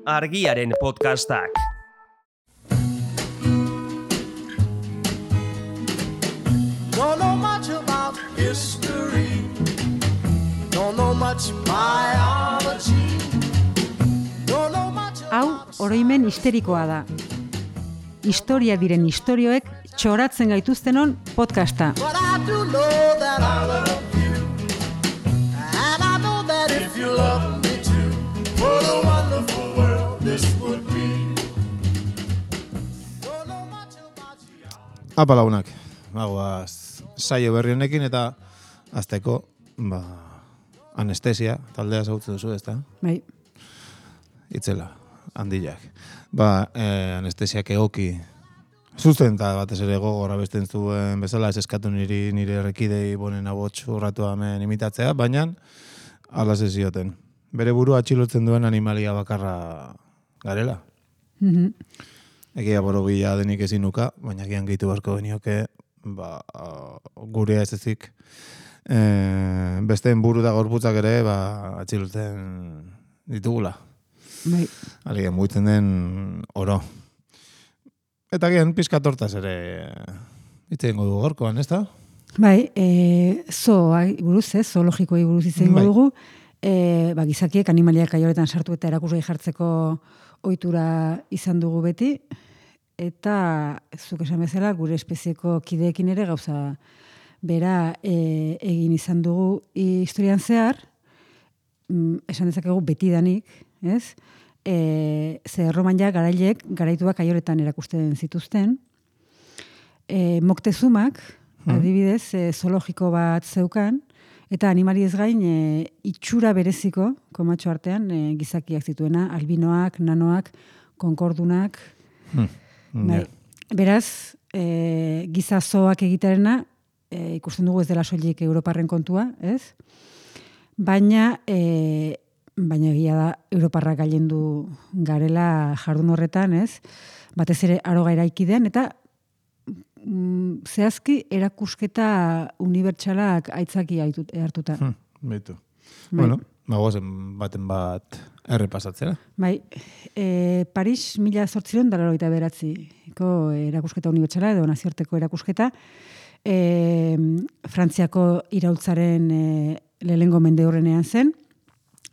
Argiaren podcastak. Don't know much about history. Don't know much biology. Don't know much. Hau oroimen histerikoa da. Historia diren istorioek txoratzen gaituztenon podcasta. But I do know that I love you. And I know that if you love me too, what a wonderful world this would be. Don't know much about you. Apa lagunak, saio berri honekin eta azteko, anestesia, taldea zautzen duzu, ezta? Bai. Itzela, handiak. Anestesiak egoki zuzenta batez ere gogorra besten zuen bezala, ez eskatu nire errekidei bonen abots urratu hemen imitatzea, baina alaz ez zioten. Bere burua atxilotzen duen animalia bakarra garela. Egia borobila denik ezinuka, baina gian gehitu barko benioke, gurea ez ezik, besteen buru da gorputzak ere, atxilotzen ditugula. Bai. Aligen mugitzen den oro. Eta gian pizka tortaz ere itzengo dugu gorkoan, ez da? Bai, buruz, zoologikoi buruz izango dugu. Gizakiek animaliak kaioretan sartu eta erakusgai jartzeko ohitura izan dugu beti. Eta, zuk esan bezala, gure espezieko kideekin ere gauza bera egin izan dugu historian zehar, esan dezakegu betidanik, ez? Ze Erroman ja garailek garaituak kaioretan erakusten zituzten. Moctezumak, adibidez, zoologiko bat zeukan, eta animaliez gain itxura bereziko, komatxo artean, gizakiak zituena, albinoak, nanoak, konkordunak. Beraz, giza zoak egitearena, ikusten dugu ez dela soilik Europarren kontua, ez? Baina egia da Europarrak gailendu garela jardun horretan, ez? Batez ere aroga eraikidean, eta zehazki erakusketa unibertsalak aitzaki hartuta. Beitu. Bueno, gozen baten bat errepasatzera. Bai, Paris 1889ko erakusketa unibertsala edo nazioarteko erakusketa, Frantziako iraultzaren lehengo mendeurrenean zen,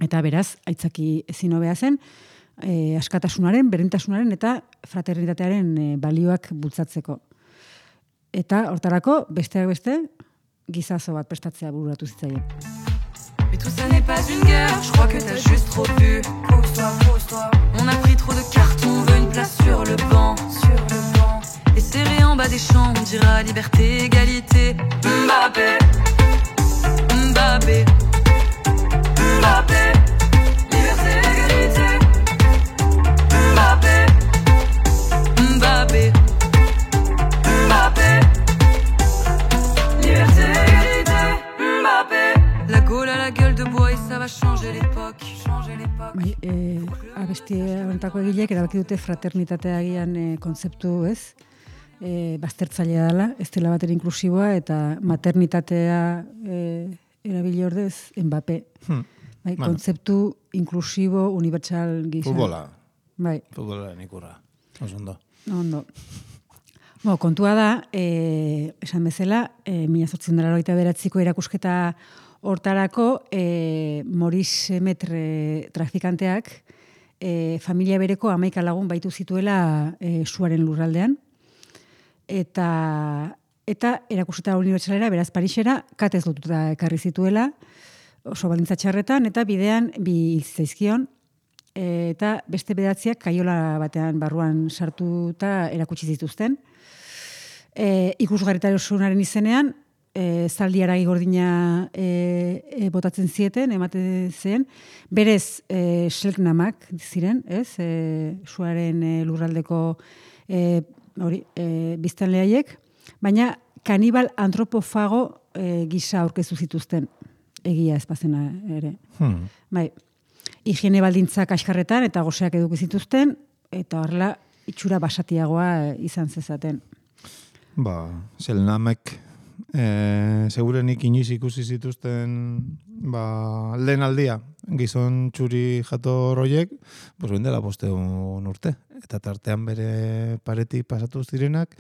eta beraz, aitzaki ezin hobea zen, askatasunaren, berdintasunaren eta fraternitatearen balioak bultzatzeko. Eta hortarako, besteak beste, gizazo bat prestatzea bururatu zitzaien. Mais tout ça n'est pas une guerre, je crois que t'as juste trop bu. Pose-toi. On a pris trop de cartons, on veut une place sur le banc. Et serré en bas des champs, on dira liberté, égalité. Mbappé. Liberté, égalité. Mbappé. Liberté, égalité. Mbappé. La Gaule à la gueule de bois et ça va changer l'époque. Bai, abesti honetako egileek erabaki dute fraternitatea agian kontzeptu, ez? Baztertzailea dela, ez dela bater inklusiboa, eta maternitatea erabili ordez, Mbappé. Bai, kontzeptu inklusibo, unibertsal gisa. Futbola. Bai. Futbola ikurra. Ondo. Kontua da, esan bezala, 1889ko erakusketa hortarako, Maurice Metre trafikanteak familia bereko 11 lagun baitu zituela suaren lurraldean, eta erakusketa unibertsalera, beraz Parisera, katez lotuta ekarri zituela, oso baldintza txarretan, eta bidean bi zaizkion, eta beste bedatziak kaiola batean barruan sartuta erakutsi zituzten. Ikusgarritasunaren izenean, zaldi haragi gordina botatzen zieten, ematen zen, berez selknamak ziren, ez? Suaren lurraldeko biztanlehaiek, baina kanibal antropofago gisa aurkeztu zituzten, egia espazena ere. Bai, higiene baldintzak askarretan eta goseak eduki zituzten, eta horrela itxura basatiagoa izan zezaten. Selnamek segurenik inoiz ikusi zituzten lehen aldia, gizon txuri jator horiek, pues dela 500 urte. Eta tartean bere paretik pasatu zirenak,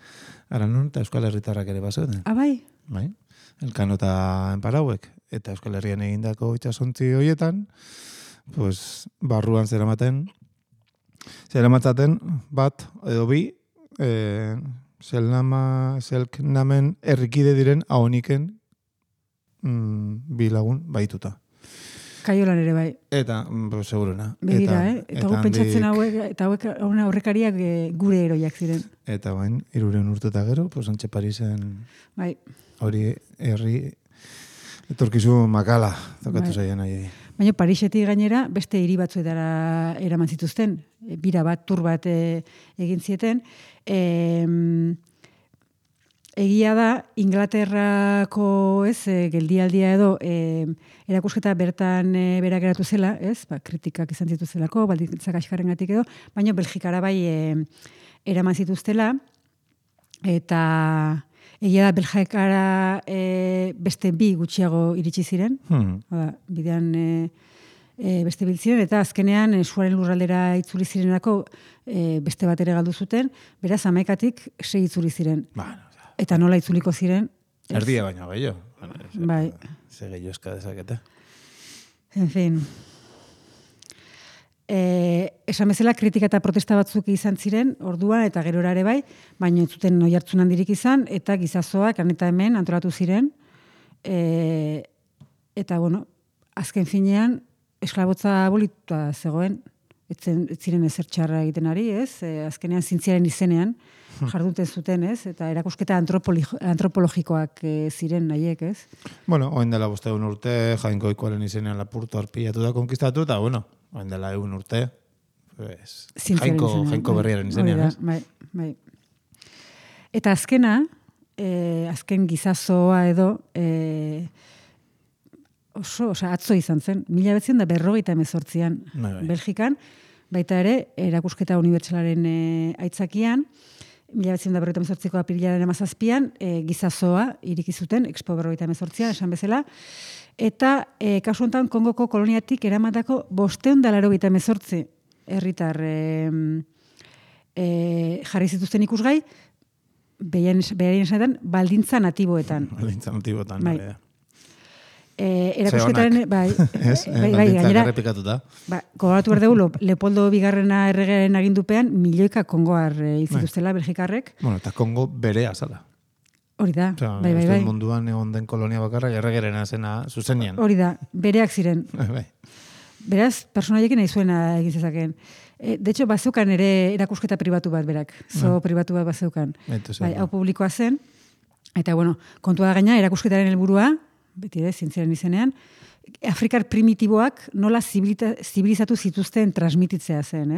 Aranon eta Euskal Herritarrak ere bazeuden. Bai? Bai, Elkano eta Enparauek. Eta Euskal Herrian egindako itxasontzi horietan, pues, barruan zeramatzaten bat edo bi, zelknamen errikide diren ahoniken bi lagun baituta. Kaiolan ere bai. Eta, seguruna. Begira, eta gu pentsatzen hauek, eta hauek aurrekariak gure eroiak ziren. Eta bain, 300 urte eta gero, pues Antxe Parisen bai. Hori herri etorkizu makala tokatu zaien nahi. Baina Parisetik gainera beste hiri batzuetara eraman zituzten, bira bat, tur bat egin zieten. Egia da, Inglaterrako geldialdia edo erakusketa bertan berak geratu zela, kritikak izan zituzelako, baldintzak askarrengatik edo, baina Belgikara bai eraman zituztela, eta egia da Belgikara beste bi gutxiago iritsi ziren, bidean beste biltziren, eta azkenean suaren lurraldera itzuli zirenako beste bat ere galdu zuten, beraz 11tik 6 itzuli ziren. Eta nola itzuliko ziren? Erdia baina gehiago. Bai. Ze gehiago eska dezakete. En fin. Esan bezala kritika eta protesta batzuk izan ziren, orduan eta gerora ere bai, baina ez zuten oihartzun handirik izan, eta gizazoak han eta hemen antolatu ziren. Eta, bueno, azken finean, esklabotza abolituta zegoen, ez ziren ezer txarra egiten ari, azkenean zintziaren izenean, jarduten zuten, eta erakusketa antropologikoak ziren nahiek, Bueno, oen dela 500 urte, Jainkoikoaren izenean Lapurto arpillatu da konkistatu, eta, bueno, oen dela 100 urte, pues, Jainko berriaren izenean, Bai. Eta azkena, azken gizazoa edo, atzo izan zen, 1958an Belgikan, baita ere, erakusketa unibertsalaren aitzakian, 1958ko apirilaren 17an, gizazoa iriki zuten, Expo 58an, esan bezala, eta kasu honetan Kongoko koloniatik eramatako 588 herritar jarri zituzten ikusgai, beharien esanetan, baldintza natiboetan. Baldintza natiboetan, bai. Erakusketaren, bai, gainera, gogoratu behar dugu, Leopoldo Bigarrena erregearen agindupean, milioika kongoar izituztela Belgikarrek. Bueno, eta Kongo bere azala. Hori da, bai. Munduan egon den kolonia bakarra, erregeren azena zuzenean. Hori da, bereak ziren. Bai. Beraz, personaiekin nahi zuena egin zezakeen. De hecho, bazeukan ere erakusketa pribatu bat berak. Pribatu bat bazeukan. Bai, hau publikoa zen. Eta, bueno, kontua da gaina, erakusketaren helburua, beti ere, zintziaren izenean, Afrikar primitiboak nola zibilizatu zituzten transmititzea zen,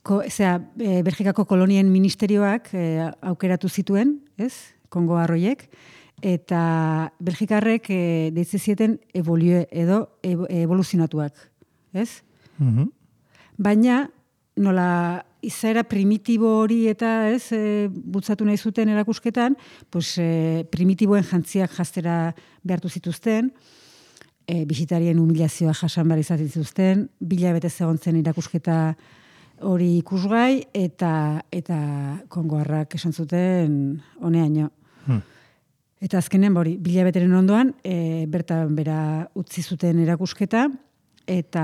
Belgikako kolonien ministerioak aukeratu zituen, Kongo arroiek, eta Belgikarrek deitze zieten evoluzionatuak, Baina, nola izaera primitibo hori eta bultzatu nahi zuten erakusketan, primitiboen jantziak jaztera behartu zituzten, bisitarien humilazioa jasan behar izaten zituzten, 2 hilabete zegontzen erakusketa hori ikusgai, eta kongoarrak esan zuten honeaino. Eta azkenen, 2 hilabeteren ondoan, bertan bera utzi zuten erakusketa, eta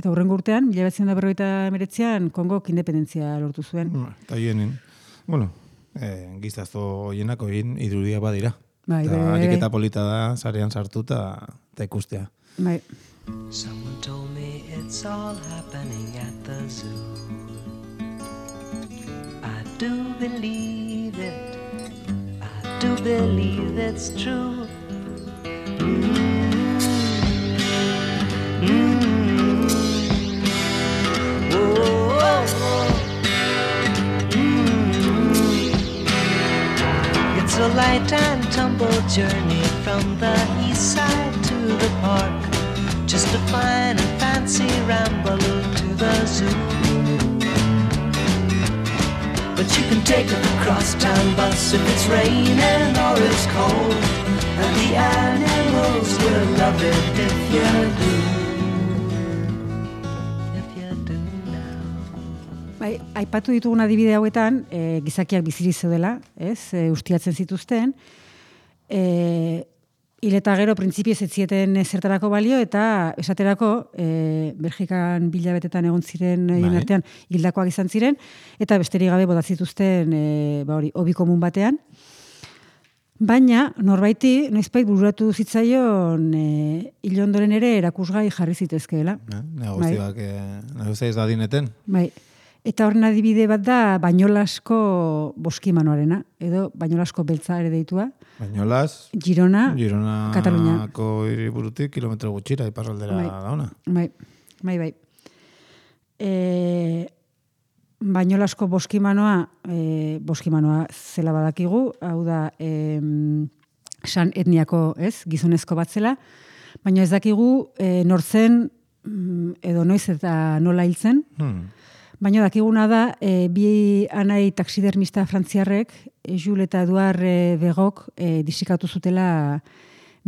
hurrengo urtean, 1959an, Kongok independentzia lortu zuen. Eta hienin, giztazo hienako irudia badira. Eta ariketa polita da, zarean sartuta eta ikustea. Bai. Someone told me it's all happening at the zoo. I do believe it. I do believe it's true. It's a light and tumble journey from the east side to the park. Just a fine and fancy ramble to the zoo. but you can take a crosstown bus if it's raining or it's cold. And the animals will love it if you do. If you do now. Bai, aipatu ditugun adibide hauetan, gizakiak biziri zeudela, ez? Ustiatzen zituzten. Hil eta gero printzipioz ez zieten zertarako balio, eta esaterako Belgikan bilabetetan egon ziren artean hildakoak izan ziren, eta besterik gabe botatzituzten hobi komun batean. Baina, norbaiti, noizbait bururatu zitzaion hil ondoren ere erakusgai jarri zitezkeela. Negozia ez da dineten. Bai. Eta horren adibide bat da Bañolasko boskimanoarena, edo Bañolasko beltza ere deitua. Bañolas, Girona, Katalunia. Gironako hiriburutik kilometro gutxira iparraldera da ona. Bai. Bañolasko boskimanoa zela badakigu, hau da san etniako, ez, gizonezko bat zela, baina ez dakigu nortzen edo noiz eta nola hiltzen. Baina dakiguna da, bi anai taxidermista frantziarrek, Jules eta Eduard Begok disikatu zutela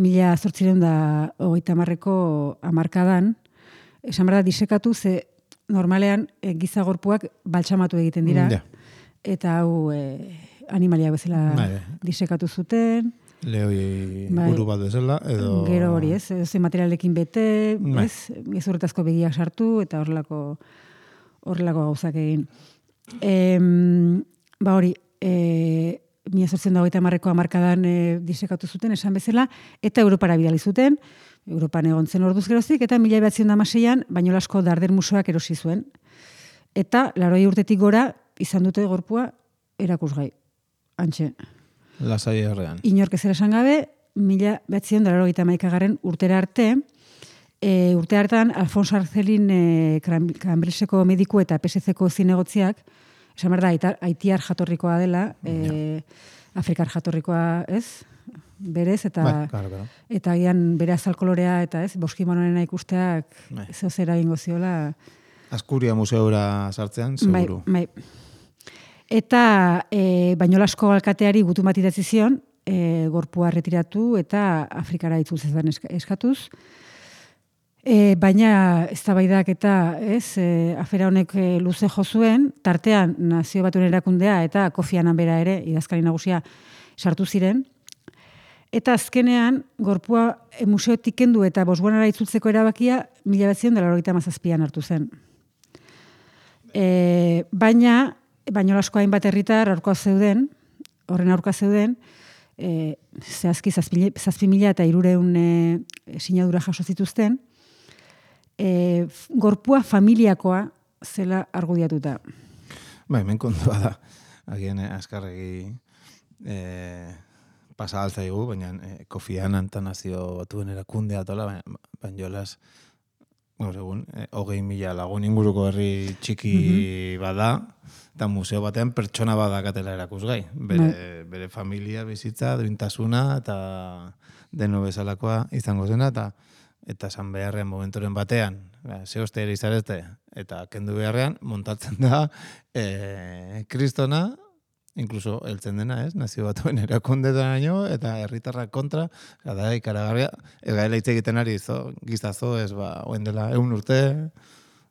1830ko hamarkadan. Esan behar da, disekatu ze normalean gizagorpuak baltsamatu egiten dira. Eta hau animaliak bezala disekatu zuten. Lehoi buru bat bezala, edo... Gero hori, ez? Ze materialekin bete, ez? Gezurretazko begiak sartu, eta horrelako gauzak egin. Hori, 1830ko hamarkadan disekatu zuten, esan bezala, eta Europara bidali zuten, Europan egon zen orduz geroztik, eta 1916an Bañolasko Darder Museoak erosi zuen. Eta 80 urtetik gora izan dute gorpua erakusgai. Antxe. Lasai errean. Inork ezera esan gabe, 1981 urtera arte, urte hartan, Alfonso Arzelin Cambridgeko mediku eta PSC-ko zinegotziak, esan behar da, haitiar jatorrikoa dela, afrikar jatorrikoa, ez? Berez, eta gian bere azalkolorea, eta ez, boskimanoena ikusteak zehoz eragingo ziola. Azkuria museora sartzean, seguru. Bai. Eta Bañolasko alkateari gutun bat idatzi zion, gorpua retiratu eta Afrikara itzultzetan eskatuz. Baina eztabaidak eta afera honek luze jo zuen, tartean Nazio Batuen Erakundea eta Kofi Annan bera ere, idazkari nagusia, sartu ziren. Eta azkenean, gorpua museotik kendu eta Botswanara itzultzeko erabakia 1997an hartu zen. Baina, Bañolasko hainbat herritar horren aurka zeuden, zehazki 7.000 eta 300 sinadura jaso zituzten, gorpua familiakoa zela argudiatuta. Hemen kontua da. Agien azkarregi pasa altzaigu, baina Kofi Annan eta Nazio Batuen Erakundea tola, Bañolas gaur egun, 20.000 lagun inguruko herri txiki bada, eta museo batean pertsona badakatela erakusgai. Bere familia, bizitza, duintasuna, eta deno bezalakoa izango zena, eta esan beharrean momentoren batean, zehozte ere izarezte, eta kendu beharrean, montatzen da kristona, inkluso heltzen dena, Nazio Batuen Erakundetaraino, eta herritarrak kontra, da ikaragarria, ez gaela hitz egiten ari gizazo, oen dela 100 urte,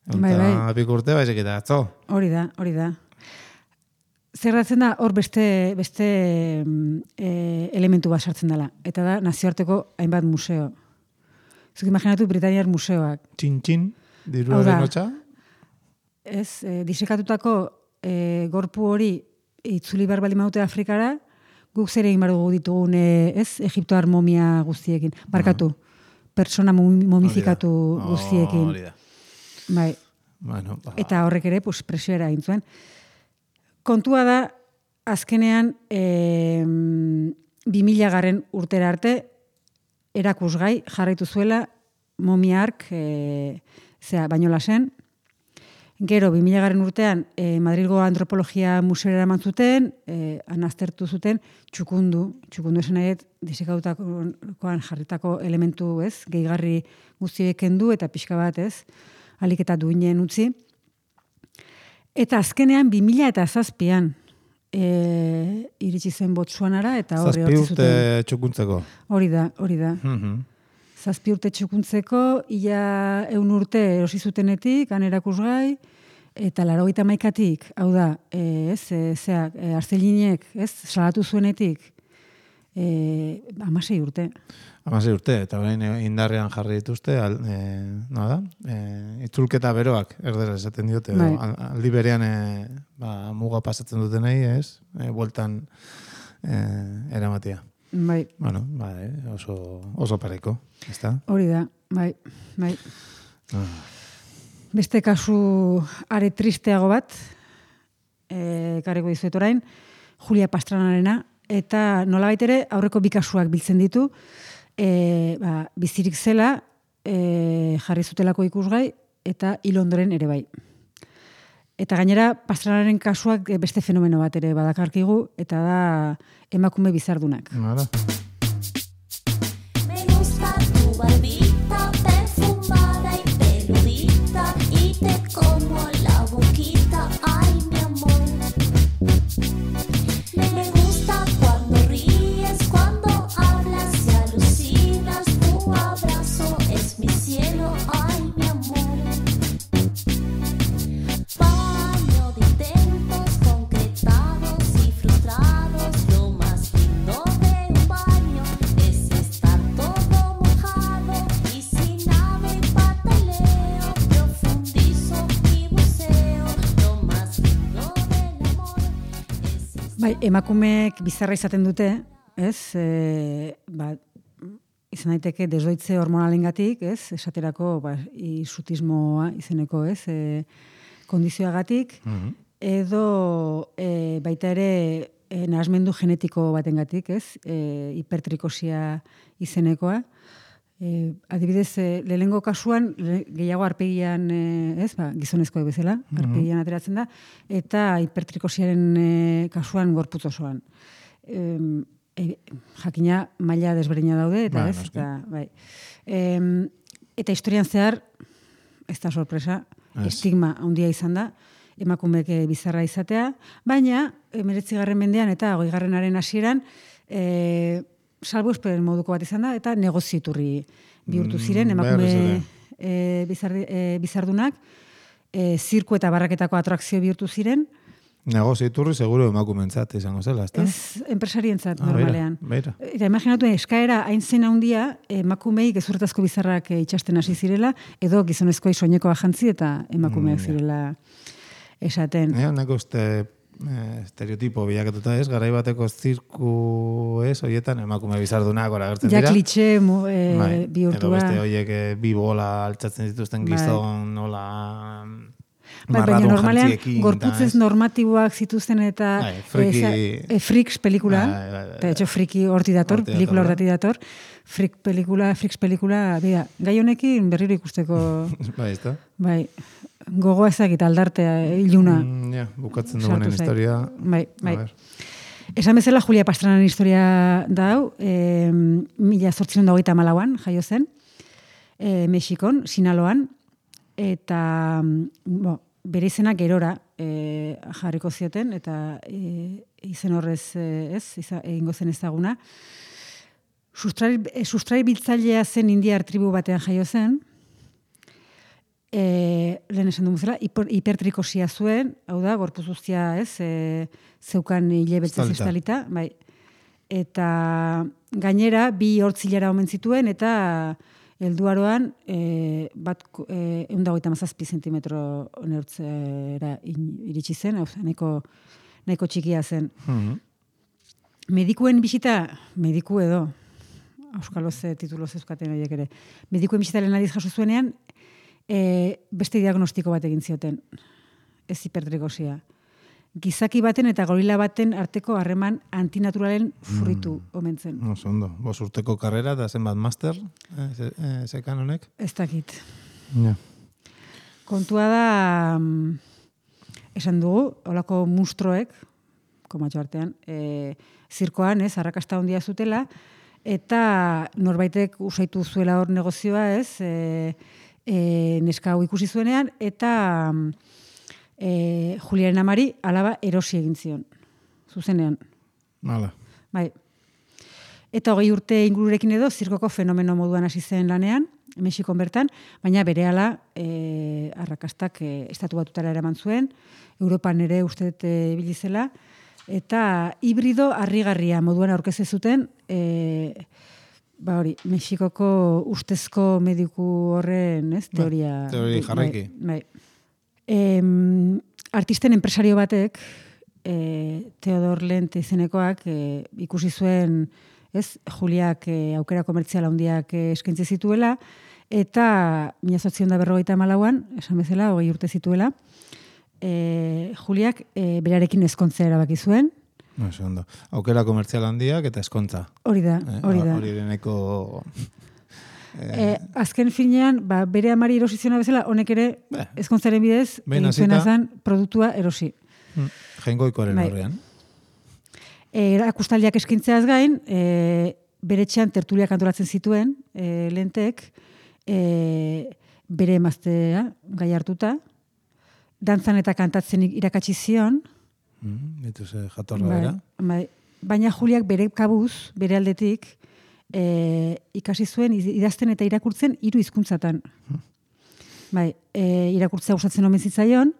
100 urte, baizik eta atzo. Hori da. Zer datzen da, hor beste elementu bat sartzen dela, eta da nazioarteko hainbat museo. Zuk imaginatu Britaniar museoak. Txin, diruaren hotxa? Ez, disekatutako gorpu hori itzuli behar baldin badute Afrikara, guk zer egin behar dugu ditugun, Egiptoar momia guztiekin. Barkatu, persona momifikatu guztiekin. Hori da. Bai. Eta horrek ere, presioera egin zuen. Kontua da, azkenean 2000 urtera arte, erakusgai jarraitu zuela momiark Bañolasen. Gero, 2000 urtean, Madrilgo Antropologia Museora eraman zuten, anaztertu zuten, txukundu esan nahiet, disekatutakoan jarritako elementu, gehigarri guztiek kendu, eta pixka bat, alik eta duinen utzi. Eta azkenean, 2007an, iritsi zen Botsuanara, eta horri 7 hortzi urte zuten. txukuntzeko. Hori da. 7 urte txukuntzeko, ia 100 urte erosi zutenetik, han erakusgai, eta 81tik, hau da, Arcelinek, salatu zuenetik, 16 urte. 16 urte, eta orain indarrean jarri dituzte, itzulketa beroak, erdera esaten diote, Bai. aldi berean muga pasatzen dutenei, bueltan eramatia. Bai. Bueno, oso pareko, ezta? Hori da, bai. Beste kasu are tristeago bat, karriko dizuet orain, Julia Pastranarena, eta nolabait ere aurreko 2 kasuak biltzen ditu, bizirik zela, jarri zutelako ikusgai, eta hil ondoren ere bai. Eta gainera, Pastranaren kasuak beste fenomeno bat ere badakarkigu, eta da emakume bizardunak. Hala. Me gusta tu barbita perfumada y peludita y te como la boquita, ay mi amor. Me gusta cuando ríes, cuando hablas y alucinas, tu abrazo es mi cielo, ay mi amor. Baño de intentos concretados y frustrados, lo más lindo de un baño es estar todo mojado y sin nave pataleo, profundizo mi buceo, lo más lindo del amor es estar. Bai, emakumeek bizarra izaten dute, ez? Izan daiteke desdoitze hormonalengatik, ez? Esaterako, isutismoa izeneko, ez? Kondizioagatik, edo baita ere nahasmendu genetiko batengatik, ez? Hipertrikosia izenekoa. Adibidez, lehenengo kasuan, gehiago arpegian, gizonezkoa bezala, arpegian ateratzen da, eta hipertrikosiaren kasuan gorputz osoan. Jakina maila desberdina daude, eta ez, eta, bai. Eta historian zehar, ez da sorpresa, estigma handia izan da, emakumeek bizarra izatea, baina, 19. mendean eta 20. hasieran, salbuespen moduko bat izan da, eta negozieturri bihurtu ziren, emakume bizardunak, zirku eta barraketako atrakzio bihurtu ziren. Negozieturri seguro emakumentzat izango zela, ezta? Ez, enpresarientzat normalean. Beira. Eta imaginatu, eskaera hain zen handia, emakumei gezurretazko bizarrak itxasten hasi zirela, edo gizonezkoei soinekoa jantzi eta emakumeak zirela esaten. Nahiko estereotipo bilakatuta ez, garai bateko zirku ez, horietan emakume bizardunak agertzen dira. Ja klitxe bihurtua. Edo beste horiek bi bola altzatzen dituzten gizon, nola... Baina normalean gorputzez normatiboak zituzten eta Freaks pelikula, eta etxo Friki horti dator, pelikula horti dator, Freaks pelikula, gai honekin berriro ikusteko... Bai, ez da? Bai, gogoa ezagit aldartea, iluna. Bukatzen dugunen historia. Bai. Esan bezala, Julia Pastranaren historia da hau, 1884an jaio zen, Mexikon, Sinaloan, eta bere izena gerora jarriko zioten, eta izen horrez egingo zen ezaguna. Sustrai biltzailea zen indiar tribu batean jaio zen, lehen esan dugu zela, hipertrikosia zuen, hau da, gorpuz guztia zeukan hile beltzez estalita, bai. Eta gainera, 2 hortzilara omen zituen, eta helduaroan, 157 zentimetro neurtzera iritsi zen, nahiko txikia zen. Medikuen bisita, mediku edo, auskaloz tituloz euskaten horiek ere, medikuen bisita lehen adiz jaso zuenean, beste diagnostiko bat egin zioten, ez hipertrikosia. Gizaki baten eta gorila baten arteko harreman antinaturalen fruitu omen zen. Oso ondo. 5 urteko karrera eta zenbat master, zekan honek? Ez dakit. Ja. Kontua da, esan dugu, holako mustroek, komatxo artean, zirkoan, arrakasta handia zutela, eta norbaitek usaitu zuela hor negozioa, neska hau ikusi zuenean, eta Juliaren amari alaba erosi egin zion. zuzenean. Hala. Bai. Eta 20 urte ingururekin edo zirkoko fenomeno moduan hasi zen lanean, Mexikon bertan, baina berehala arrakastak estatu batutara eraman zuen, Europan ere uste dut ibili zela, eta hibrido harrigarria moduan aurkeztu zuten, hori, Mexikoko ustezko mediku horren, ez, teoria. Teoria jarraiki. Bai. Artisten enpresario batek, Theodor Lent izenekoak, ikusi zuen, ez, Juliak aukera komertzial handiak eskaintze zituela, eta 1954an, esan bezala, 20 urte zituela, Juliak berarekin ezkontzea erabaki zuen. Oso ondo. Aukera komertzial handiak eta eskontza. Hori da. Hori deneko... azken finean, bere amari erosiziona bezala, honek ere ezkontzaren bidez, zuena zen produktua erosi. Jaingoikoaren horrean. Erakustaldiak eskintzeaz gain, bere etxean tertuliak antolatzen zituen, Lentek, bere emaztea gai hartuta, dantzan eta kantatzen irakatsi zion. Jatorra bera. Baina Juliak bere kabuz, bere aldetik, ikasi zuen idazten eta irakurtzen 3 hizkuntzatan. Irakurtzea gustatzen omen zitzaion,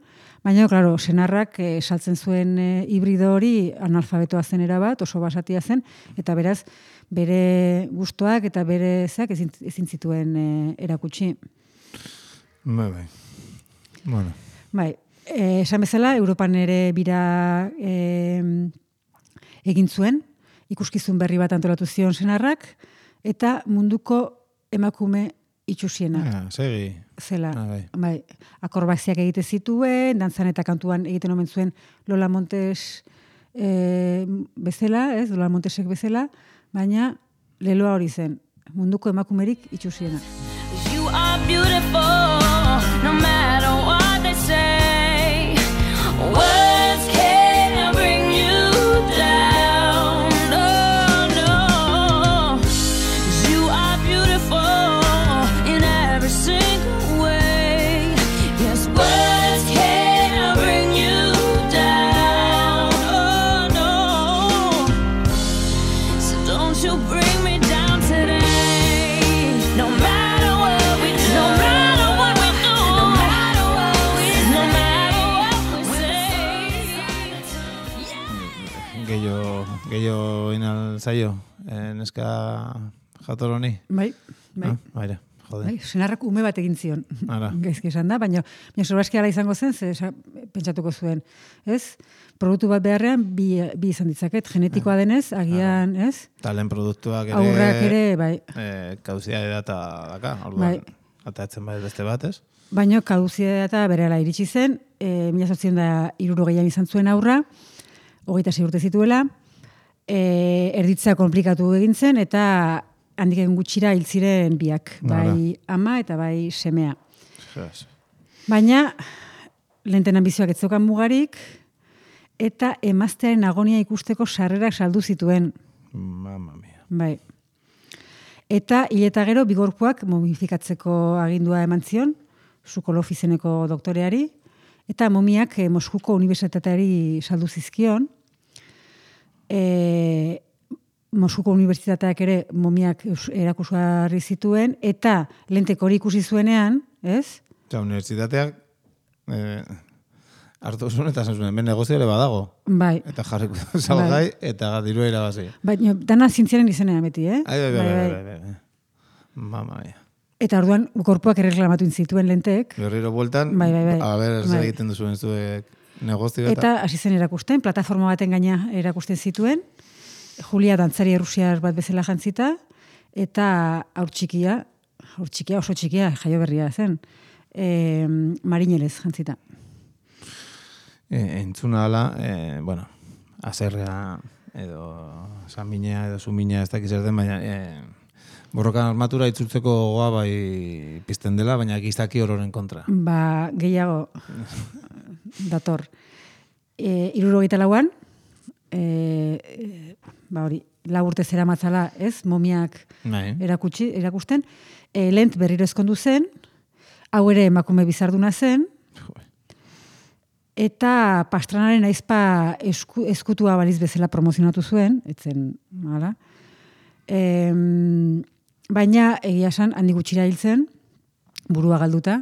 baina, klaro, senarrak saltzen zuen hibrido hori analfabetoa zen erabat, oso basatia zen, eta beraz, bere gustoak eta bere zeak ezin zituen erakutsi. Bai. Bueno. Esan bezala, Europan ere bira egin zuen, ikuskizun berri bat antolatu zion senarrak, eta munduko emakume itxusiena. Segi. Zela. Akorbaziak egite zituen, dantzan eta kantuan egiten omen zuen Lola Montes bezala, ez? Lola Montesek bezala, baina leloa hori zen, munduko emakumerik itxusiena. You are beautiful, no matter what they say. Words can't bring you down. No. You are beautiful in every single way. Yes, words can't bring you down. No. So don't you bring me down today. No matter what we do. No matter what we do. No matter what we say. No matter what we say. Gehiago inal zaio, neska jator honi? Bai. Baina, jode. Senarrak ume bat egin zion. Gaizki esan da, baina sorbaski ala izango zen, pentsatuko zuen. Ez? Produktu bat beharrean, bi izan ditzaket, genetikoa denez, agian, ez? Talen produktuak ere... Aurrak ere, bai. Kauzia data daka, orduan, atatzen bai beste bat, ez? Baina kauzia data berehala iritsi zen, 1960 izan zuen aurra, 26 urte zituela, erditza komplikatu egin zen, eta handik egin gutxira hil ziren biak, bai ama eta bai semea. Baina, Lenten ambizioak ez zeukan mugarik, eta emaztearen agonia ikusteko sarrerak saldu zituen. Mamma mia. Bai. Eta hileta gero bigorpuak momifikatzeko agindua eman zion, Sokolov izeneko doktoreari, eta momiak Moskuko unibertsitateari saldu zizkion. Moskuko unibertsitateak ere momiak erakusgarri zituen, eta Lentek hori ikusi zuenean, ez? Unibertsitateak hartu zuen eta zen zuen, ben negozio ere badago. Bai. Eta jarriko salgai, eta dirua irabazi. Baina, dana zientziaren izenean beti, eh? Bai. Mama mia. Eta orduan, korpuak erreklamatu zituen Lentek. Berriro bueltan, bai. A ber, zer egiten duzuen zuek negozio eta hasi zen erakusten, plataforma baten gaina erakusten zituen, Julia dantzari errusiar bat bezala jantzita, eta aur txikia, oso txikia, jaio berria zen, Marinelez jantzita. Entzuna ala, bueno, azerrea, edo sanminea, edo sumina, ez dakiz erden, baina borrokan armatura itzultzeko gogoa bai pizten dela, baina gizaki ororen kontra. Gehiago dator. 74an, hori, 4 urte zera matzala, ez, momiak erakusten, Lent berriro ezkondu zen, hau ere emakume bizarduna zen, eta Pastranaren aizpa eskutua baliz bezala promozionatu zuen, etzen, hala. Baina, egia esan, handik gutxira hil zen, burua galduta,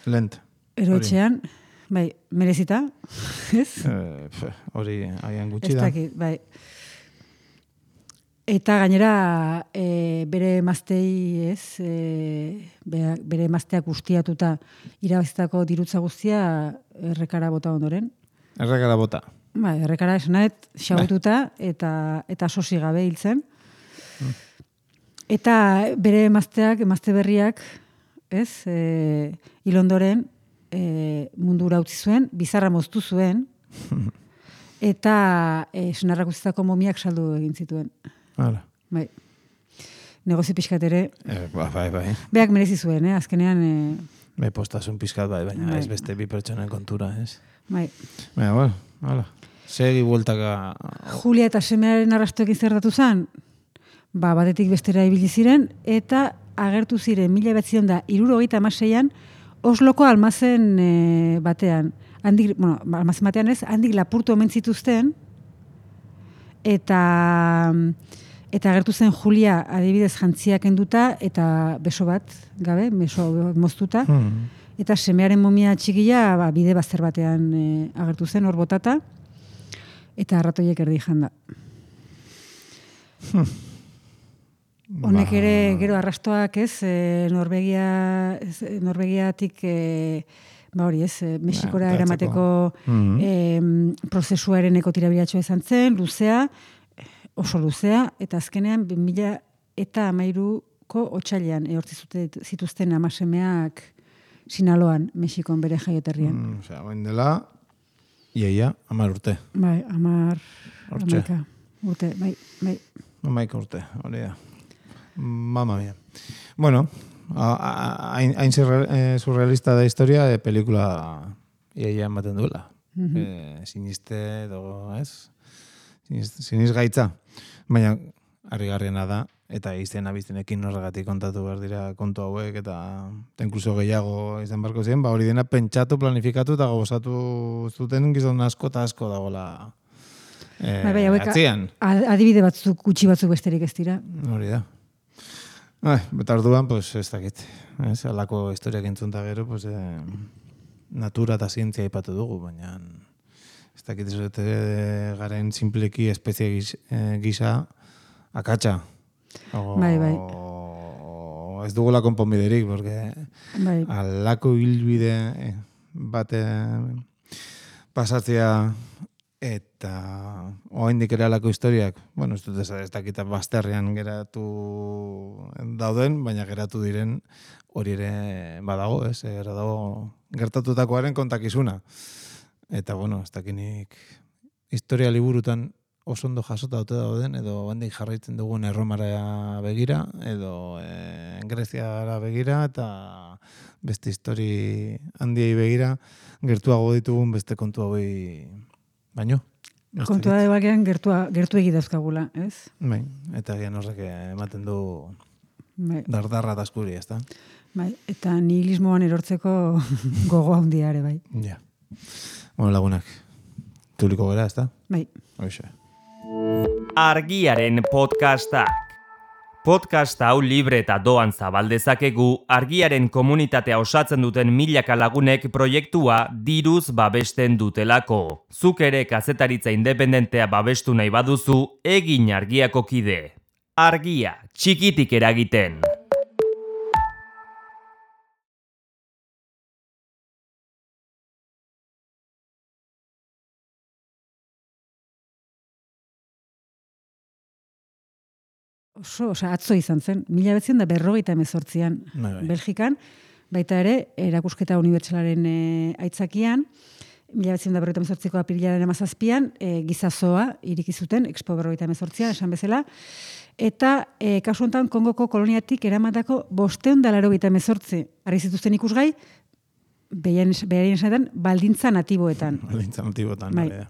Lent. eroetxean, bai, merezita, ez? Hori, haian gutxi Ez da. dakit, bai. Eta gainera bere emaztei, ez, bere emazteak ustiatuta irabazitako dirutza guztia errekara bota ondoren. Errekara bota. Bai, errekara esanet, xabututa eta sosi gabe hil zen. Eta bere emazte berriak, ez, hil ondoren mundura utzi zuen, bizarra moztu zuen, eta senarrak utzitako momiak saldu egin zituen. Hala. Bai. Negozio pixkat ere. Bai. Beak merezi zuen, azkenean. Bai, postasun pixkat bai, baina Bai. ez beste bi pertsonen kontura, ez? Bai. Baina, bueno, hala. Segi bueltaka... Julia eta semearen arrastoekin zertatu zen, batetik bestera ibili ziren, eta agertu ziren 1976an Osloko almazen batean. Almazen batean ez, handik lapurtu omen zituzten, eta agertu zen Julia adibidez jantziak enduta, eta beso bat, gabe, beso moztuta, eta semearen momia txikia bide bazter batean agertu zen, hor botata, eta arratoiek erdi janda. Honek ere, gero arrastoak ez, Norvegiatik, hori ez, Mexikora eramateko prozesuaren ekotirabilatxoa izan zen, luzea, oso luzea, eta azkenean 2013ko otsailean ehortzi zituzten amasemeak Sinaloan, Mexikon bere jaioterrian. Osea, bain dela, iaia, 10 urte. Bai, 10 urte, bai. 11 urte, hori da. Mamma mia. Bueno, hain surrealista da historia, pelikula iaia ematen duela. Siniste edo, ez? Siniz gaitza. Baina, harrigarriena da, eta izena biztenekin horregatik kontatu behar dira kontu hauek, eta inkluso gehiago izan barko ziren, hori dena pentsatu, planifikatu, eta gozatu zuten gizon asko eta asko dagoela atzian. Adibide batzuk, gutxi batzuk besterik ez dira. Hori da. Eta orduan, pues, ez dakit. Alako historiak entzunta gero, pues, natura eta zientzia ipatu dugu, baina ez dakit garen simpleki espezie gisa akatsa. Bai. Ez dugula konponbiderik, porque alako hilbide bate pasatzea eta oraindik ere alako historiak, bueno, ez dut ez dakita bazterrean geratu dauden, baina geratu diren hori ere badago, ez? Dago gertatutakoaren kontakizuna. Eta, bueno, ez dakinik historia liburutan oso ondo jasota dute dauden, edo handik jarraitzen dugun Erromara begira, edo Greziara begira, eta beste histori handiei begira, gertuago ditugun beste kontu hauei baino. Kontua da bakean gertu egidazkagula, ez? Bai, eta gian horrek ematen du dardarra eta askuri, ez da? Bai, eta nihilismoan erortzeko gogo handia ere, bai. Ja. Bueno, lagunak, tuliko gara, ez da? Bai. Hoxe. Argiaren podcastak. Podcast hau libre eta doan zabaldezakegu argiaren komunitatea osatzen duten milaka lagunek proiektua diruz babesten dutelako. Zuk ere kazetaritza independentea babestu nahi baduzu, egin argiako kide. Argia, txikitik eragiten. Atzo izan zen, 1948an Belgikan, baita ere, erakusketa unibertsalaren aitzakian, 1948ko apirilaren 17an, gizazoa irikizuten, Expo 48an, esan bezala, eta kasu honetan Kongoko koloniatik eramatako 588 harri zituzten ikusgai, beharien esanetan, baldintza natiboetan. Baldintza natiboetan, bai.